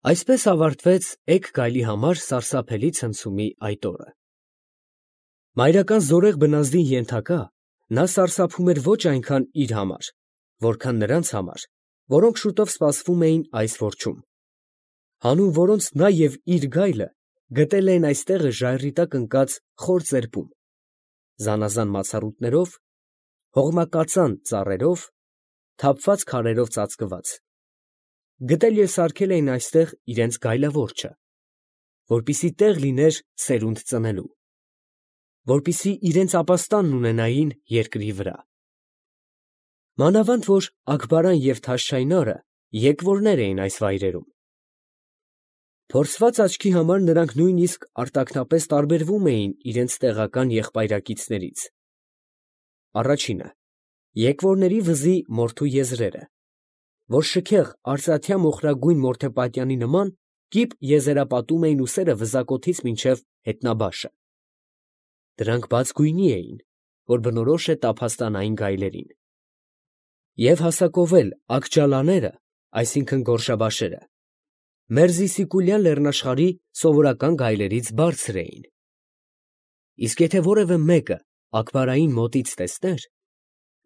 Այսպես ավարտվեց էգ գայլի համար սարսափելի ցնցումի այդ օրը։ Մայրական զորեղ բնազդին ենթակա նա սարսափում էր ոչ այնքան իր համար, որքան նրանց համար, որոնք շուտով սպասվում էին այս որջում, հանուն որոնց նա և իր գայլը գտել էին այս տեղը ժայռի տակ ընկած խոր ծերպում, զանազան մացառուտներով, հողմակածան ծառերով, թափված քարերով ծածկված, գտել և սարքել էին այստեղ իրենց գայլավորչը, որպեսզի տեղ լիներ սերունդ ծնելու, որպեսզի իրենց ապաստանն ունենային երկրի վրա։ Մանավանդ որ Աքբարան և Թաշչայնարը եկվորներ էին այս վայրերում։ Փորձված աչքի համար նրանք նույնիսկ արտաքնապես տարբերվում էին իրենց տեղական եղբայրակիցներից։ Առաջինը՝ եկվորների վզի մորթու եզրերը, որ շքեղ արծաթյա մոխրագույն մորթեպատյանի նման կիպ եզերապատում էին ուսերը վզակոթից մինչև հետնաբաշը։ Դրանք բաց գույնի էին, որ բնորոշ է տափաստանային գայլերին։ Եվ հասակովել աքջալաները, այսինքն գորշաբաշերը, Մերզիսիկուլյան լեռնաշխարհի սովորական գայլերից բարձր էին։ Իսկ եթե որևէ մեկը Աքբարային մոտից տեսներ,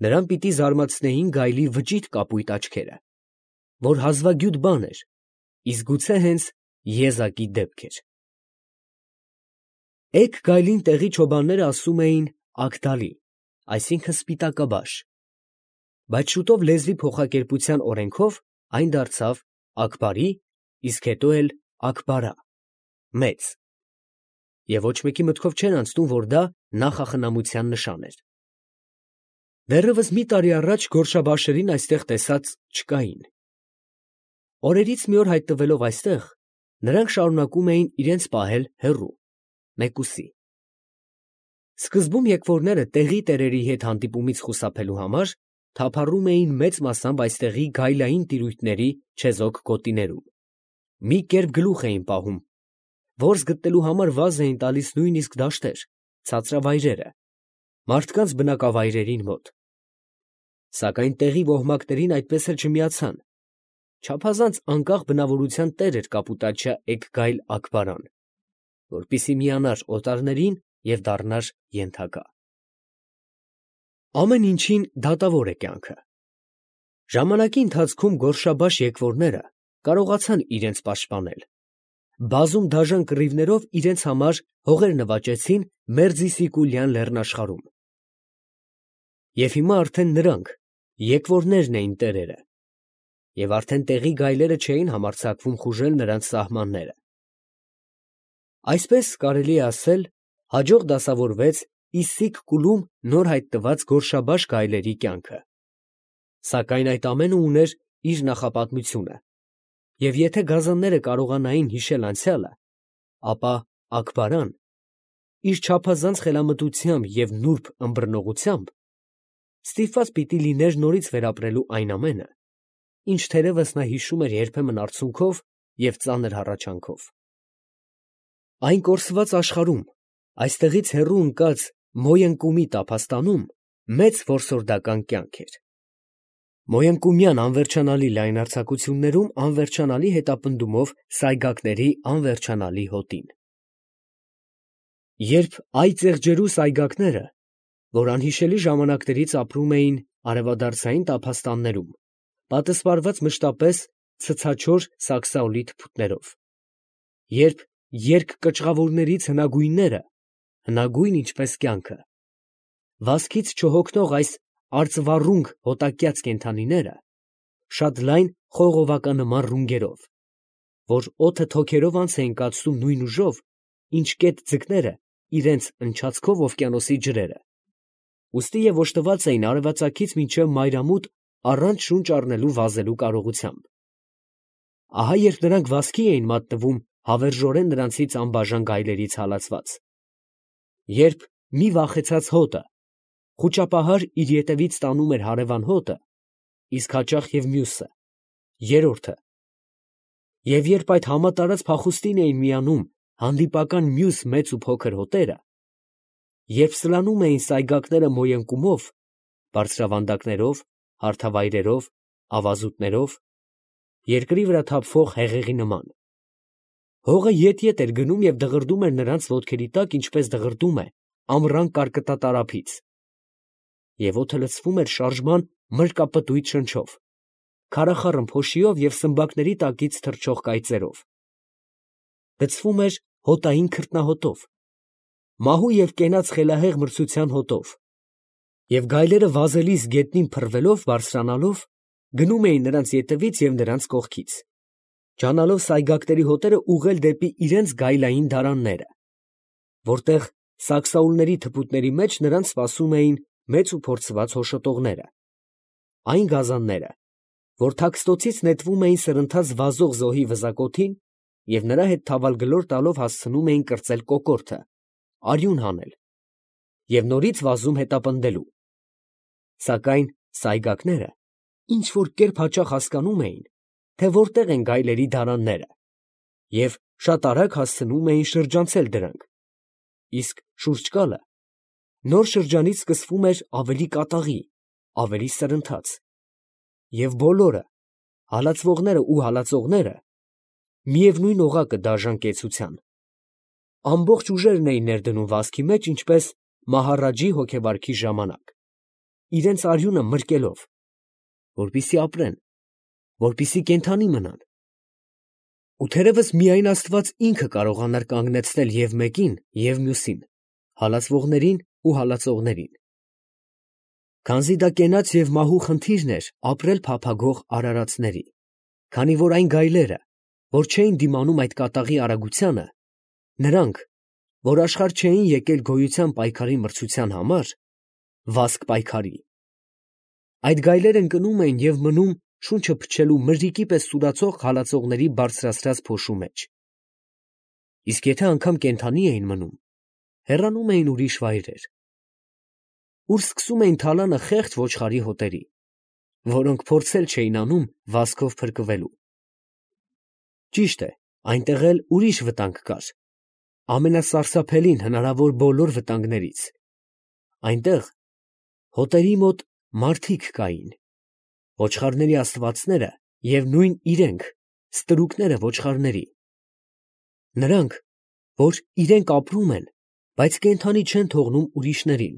նրան պիտի զարմացնեին գայլի վճիտ կապույտ աչքերը, որ հազվագյուտ բան էր, իսկ գուցե հենց եզակի դեպք էր։ Էգ գայլին տեղի չոբանները ասում էին Ագդալի, այսինքն սպիտակաբաշ, բայց շուտով լեզվի փոխակերպության օրենքով այն դարձավ Աքբարի, իսկ հետո էլ Աքբարա, մեծ, և ոչ մեկի մտքով չէր անցնում, որ դա նախախնամության նշան էր։ Դեռևս մի տարի առաջ գորշաբաշերին այստեղ տեսած չկային։ Օրերից մի օր հայտնվելով այստեղ, նրանք շարունակում էին իրենց պահել հեռու, մեկուսի։ Սկզբում եկվորները տեղի տերերի հետ հանդիպումից խուսափելու համար թափառում էին մեծ մասամբ այստեղի գայլային տիրույթների չեզոք գոտիներում, մի կերպ գլուխ էին պահում, որս գտնելու համար վազ էին տալիս նույնիսկ դաշտեր, ցածրավայրերը, մարդկանց բնակավայրերին մոտ։ Սակայն տեղի ոհմակներին այդպես էլ չմիացան, չափազանց անկախ բնավորության տեր էր կապուտաչյա էգ գայլ Աքբարան, որպեսզի միանար օտարներին և դառնար ենթակա։ Ամեն ինչին դատավոր է կյանքը։ Ժամանակի ընթացքում գորշաբաշ եկվորները կարողացան իրենց պաշտպանել։ Բազում դաժան կռիվներով իրենց համար հողեր նվաճեցին Մերձիսիկուլյան լեռնաշխարհում։ Եվ հիմա արդեն նրանք, եկվորներն էին տերերը, և արդեն տեղի գայլերը չէին համարձակվում խուժել նրանց սահմանները։ Այսպես, կարելի է ասել, հաջող դասավորվեց Իսսիկ֊Կուլում նոր հայտնված գորշաբաշ գայլերի կյանքը։ Սակայն այդ ամենը ուներ իր նախապատմությունը, և եթե գազանները կարողանային հիշել անցյալը, ապա Աքբարան իր չափազանց խելամտությամբ և նուրբ ըմբռնողությամբ ստիպված պիտի լիներ նորից վերապրելու այն ամենը, ինչ թերևս նա հիշում էր երբեմն արցունքով և ծանր հառաչանքով։ Այն կորսված աշխարհում, այստեղից հեռու ընկած Մոյընկումի տափաստանում մեծ որսորդական կյանք էր։ Մոյընկումյան անվերջանալի լայնարձակություններում անվերջանալի հետապնդումով սայգակների անվերջանալի հոտին։ Երբ այ ծեղջերու սայգակները, որ անհիշելի ժամանակներից ապրում էին արևադարձային տափաստաններում, պատսպարված մշտապես ցցաչոր սաքսաօլի թփուտներով, երբ երկկճռավորներից հնագույնները, հնագույն ինչպես կյանքը, վազքից չհոգնող այս արծվառունգ հոտակյաց կենդանիները, շատ լայն խողովականնման ռունգերով, որ օդը թոքերով անց էին կացնում նույն ուժով, ինչ կետ ձկները իրենց ընչացքով օվկիանոսի ջրերը, ուստի և օժտված էին արևածագից մինչև մայրամուտ առանց շունչ առնելու վազելու կարողությամբ։ Ահա երբ նրանք վազքի էին մատնվում հավերժորեն նրանցից անբաժան գայլերից հալածված, երբ մի վախեցած հոտը խուճապահար իր ետևից տանում էր հարևան հոտը, իսկ հաճախ և մյուսը, երրորդը, և երբ այդ համատարած փախուստին էին միանում հանդիպական մյուս մեծ ու փոքր հոտերը, երբ սլանում էին սայգակները Մոյընկումով, բարձրավանդակներով, հարթավայրերով, ավազուտներով, երկրի վրա թափվող հեղեղի նման, Հողը ետ-ետ էր գնում և դղրդում էր նրանց ոտքերի տակ, ինչպես դղրդում է ամռան կարկտատարափից, և օդը լցվում էր շարժման մրկապտույտ շնչով, քարախառն փոշիով և սմբակների տակից թռչող կայծերով։ Գցվում էր հոտային քրտնահոտով, մահու և կենաց խելահեղ մրցության հոտով, և գայլերը վազելիս գետնին փռվելով բարձրանալով գնում էին նրանց ետևից և նրանց կողքից, ջանալով սայգակների հոտերը ուղղել դեպի իրենց գայլային դարանները, որտեղ սակսաուլների թփուտների մեջ նրանց սպասում էին մեծ ու փորձված հոշոտողները, այն գազանները, որ թաքստոցից նետվում էին սրընթաց վազող զոհի վզակոթին և նրա հետ թավալ գլոր տալով հասցնում էին կրծել կոկորդը, արյուն հանել և նորից վազում հետապնդելու, սակայն սայգակները ինչ֊որ կերպ հաճախ հասկանում էին, թե որտեղ են գայլերի դարանները և շատ արագ հասցնում էին շրջանցել դրանք, իսկ շուրջկալը նոր շրջանից սկսվում էր ավելի կատաղի, ավելի սրընթաց, և բոլորը, հալածվողներն ու հալածողները, միևնույն օղակը դաժան կեցության, ամբողջ ուժերն էին ներդնում վազքի մեջ, ինչպես մահառաջի հոգեվարքի ժամանակ, իրենց արյունը մրկելով, որպեսզի ապրեն, որպեսզի կենդանի մնան, ու թերևս միայն Աստված ինքը կարողանար կանգնեցնել և մեկին, և մյուսին, հալածվողներին ու հալածողներին, քանզի դա կենաց և մահու խնդիրն էր ապրել փափագող արարածների, քանի որ այն գայլերը, որ չէին դիմանում այդ կատաղի արագությանը, նրանք, որ աշխարհ չէին եկել գոյության պայքարի մրցության համար, վազք պայքարի, այդ գայլերն ընկնում էին և մնում շունչը փչելու մրրիկի պես սուրացող հալածողների բարձրացրած փոշու մեջ, իսկ եթե անգամ կենդանի էին մնում, հեռանում էին ուրիշ վայրեր, ուր սկսում էին թալանը խեղճ ոչխարի հոտերի, որոնք փորձել չէին անում վազքով փրկվելու։ Ճիշտ է, այնտեղ էլ ուրիշ վտանգ կար, ամենասարսափելին հնարավոր բոլոր վտանգներից, այնտեղ հոտերի մոտ մարդիկ կային, ոչխարների աստվածները և նույն իրենք, ստրուկները ոչխարների, նրանք, որ իրենք ապրում են, բայց կենդանի չեն թողնում ուրիշներին,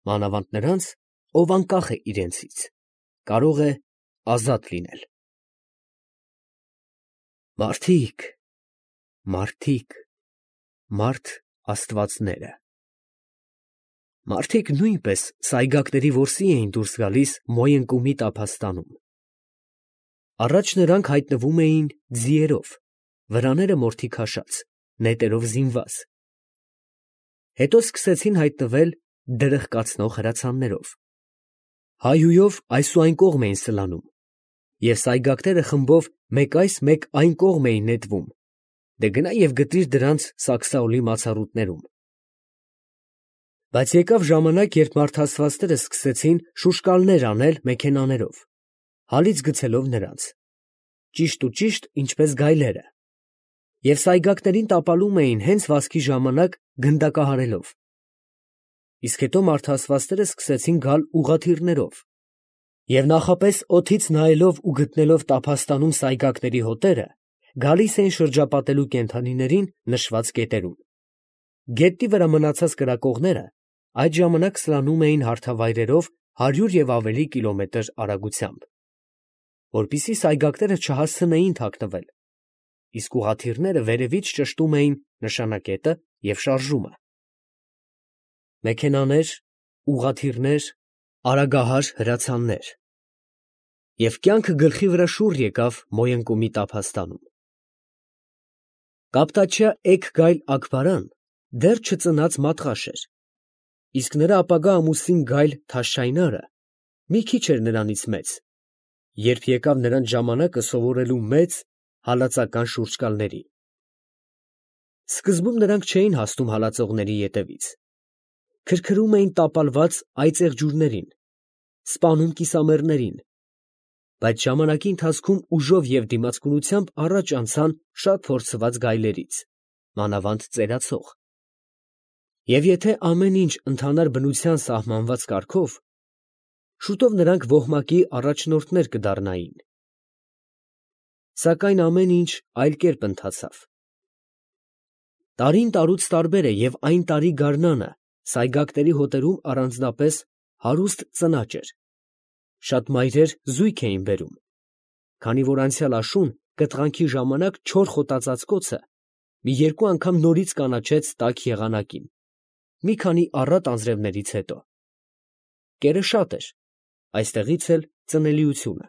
մանավանդ նրանց, ով անկախ է իրենցից, կարող է ազատ լինել։ Մարդիկ, մարդիկ, մարդ աստվածները, մարդիկ նույնպես սայգակների որսի էին դուրս գալիս Մոյընկումի տափաստանում, առաջ նրանք հայտնվում էին ձիերով, վրաները մորթի քաշած, նետերով զինված, հետո սկսեցին հայտնվել դրխկացնող հրացաններով, հայհույով այս ու այն կողմ էին սլանում, և սայգակները խմբով մեկ այս, մեկ այն կողմ էին նետվում, դե գնա և գտիր դրանց սակսաուլի մացառուտներում։ Բայց եկավ ժամանակ, երբ մարդաստվածները սկսեցին շուշկալներ անել մեքենաներով, հալից գցելով նրանց, ճիշտ ու ճիշտ, ինչպես գայլերը, և սայգակներին տապալում էին հենց վազքի ժամանակ գնդակահարելով, իսկ հետո մարդաստվածները սկսեցին գալ ուղղաթիռներով, և նախապես օդից նայելով ու գտնելով տափաստանում սայգակների հոտերը, գալիս էին շրջապատելու կենդանիներին նշված կետերում։ Գետնի վրա մնացած կրակողները այդ ժամանակ սլանում էին հարթավայրերով 100 և ավելի կիլոմետր արագությամբ, որպեսզի սայգակները չհասցնեին թաքնվել, իսկ ուղղաթիռները վերևից ճշտում էին նշանակետը և շարժումը։ Մեքենաներ, ուղղաթիռներ, արագահար հրացաններ, և կյանքը գլխի վրա շուռ եկավ Մոյընկումի տափաստանում։ Կապտաչյա էգ գայլ Աքբարան դեռ չծնած մատղաշ էր, իսկ նրա ապագա ամուսին գայլ Թաշչայնարը մի քիչ էր նրանից մեծ, երբ եկավ նրանց ժամանակը սովորելու մեծ հալածական շուրջկալների։ Սկզբում նրանք չէին հասնում հալածողների ետևից, քրքրում էին տապալված այծեղ ջուրներին, սպանում կիսամեռներին, բայց ժամանակի ընթացքում ուժով և դիմացկունությամբ առաջ անցան շատ փորձված գայլերից, մանավանդ ծերացող, և եթե ամեն ինչ ընթանար բնության սահմանված կարգով, շուտով նրանք ոհմակի առաջնորդներ կդառնային։ Սակայն ամեն ինչ այլ կերպ ընթացավ, Տարին տարուց տարբեր է և այն տարի գարնանը սայգակների հոտերում առանձնապես հարուստ ծնաճ էր. շատ մայրեր զույգ էին բերում, քանի որ անցյալ աշուն կտղանքի ժամանակ չոր խոտածածկոցը մի երկու անգամ նորից կանաչեց տաք եղանակին, մի քանի առատ անձրևներից հետո. կերը շատ էր, այստեղից էլ ծնելիությունը։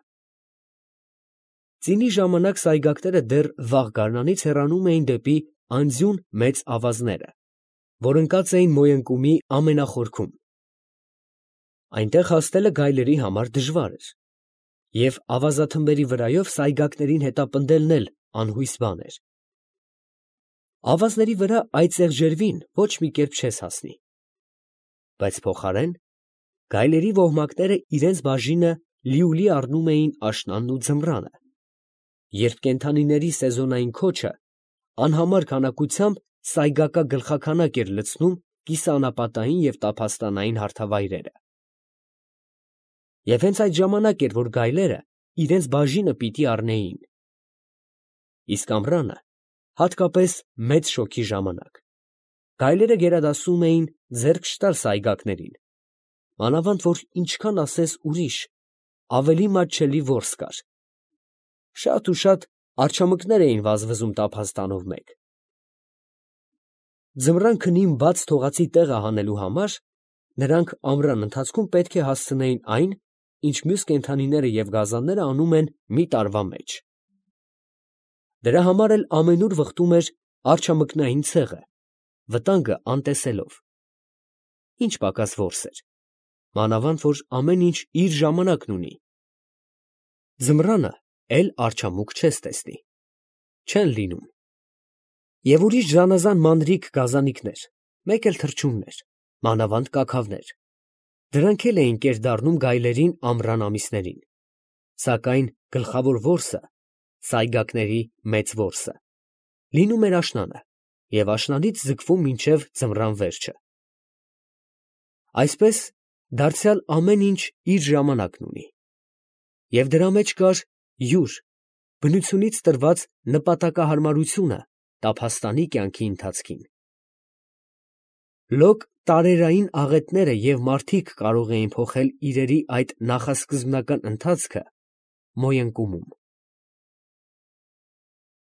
Ծինի ժամանակ սայգակները դեռ վաղ գարնանից հեռանում էին դեպի անձյուն մեծ ավազները, որ ընկած էին Մոյընկումի ամենախորքում։ Այնտեղ հասնելը գայլերի համար դժվար էր, և ավազաթմբերի վրայով սայգակներին հետապնդելն էլ անհույս բան էր։ Ավազների վրա այծեղ ջերվին ոչ մի կերպ չես հասնի, բայց փոխարեն գայլերի ոհմակները իրենց բաժինը լիուլի առնում էին աշնանն ու ձմռանը, երբ կենդանիների սեզոնային քոչը անհամար քանակությամբ սայգակագլխաքանակ էր լցնում կիսաանապատային և տափաստանային հարթավայրերը։ Եվ հենց այդ ժամանակ էր, որ գայլերը իրենց բաժինը պիտի առնեին։ Իսկ ամռանը հատկապես մեծ շոգի ժամանակ գայլերը գերադասում էին ձեռք չտալ սայգակներին, մանավանդ որ ինչքան ասես ուրիշ, ավելի մատչելի որս կար. շատ ու շատ արջամկներ էին վազվզում տափաստանով մեկ։ Ձմռան քնին բաց թողածի տեղը հանելու համար նրանք ամռան ընթացքում պետք է հասցնեին այն, ինչ մյուս կենդանիները և գազանները անում են մի տարվա մեջ։ Դրա համար էլ ամենուր վխտում էր արջամկնային ցեղը, վտանգը անտեսելով։ Ինչ պակաս որս էր, մանավանդ որ ամեն ինչ իր ժամանակն ունի։ Ձմռանը էլ արջամուկ չես տեսնի, չեն լինում։ Եվ ուրիշ զանազան մանրիկ գազանիկներ, մեկ էլ թռչուններ, մանավանդ կաքավներ, դրանք էլ էին կեր դառնում գայլերին ամռան ամիսներին, սակայն գլխավոր որսը, սայգակների մեծ որսը, լինում էր աշնանը և աշնանից ձգվում մինչև ձմռան վերջը։ Այսպես դարձյալ ամեն ինչ իր ժամանակն ունի, և դրա մեջ կար յուր, բնությունից տրված նպատակահարմարությունը տափաստանի կյանքի ընթացքին։ Լոկ տարերային աղետները և մարդիկ կարող էին փոխել իրերի այդ նախասկզբնական ընթացքը Մոյընկումում։